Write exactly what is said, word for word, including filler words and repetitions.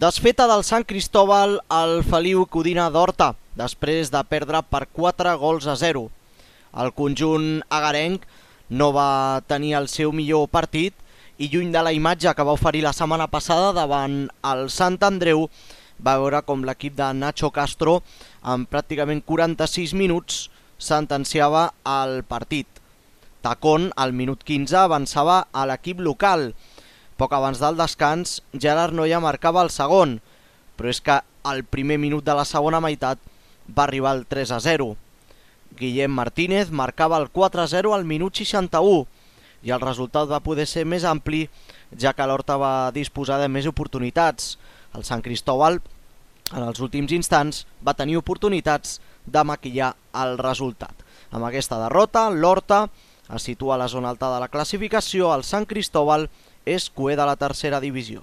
Desfeta del Sant Cristóbal al Feliu Codina d'Horta, després de perdre per quatre gols a zero. El conjunt agarenc no va tenir el seu millor partit i lluny de la imatge que va oferir la setmana passada davant el Sant Andreu, va veure com l'equip de Nacho Castro en pràcticament quaranta-sis minuts sentenciava el partit. Tacón, al minut quinze, avançava a l'equip local. Poc abans del descans, Gerard Noya marcava el segon, però és que al primer minut de la segona meitat va arribar el tres a zero. Guillem Martínez marcava el quatre a zero al minut seixanta-u i el resultat va poder ser més ampli, ja que l'Horta va disposar de més oportunitats. El Sant Cristóbal, en els últims instants, va tenir oportunitats de maquillar el resultat. Amb aquesta derrota, l'Horta es situa a la zona alta de la classificació. El Sant Cristóbal és cuer de la tercera divisió.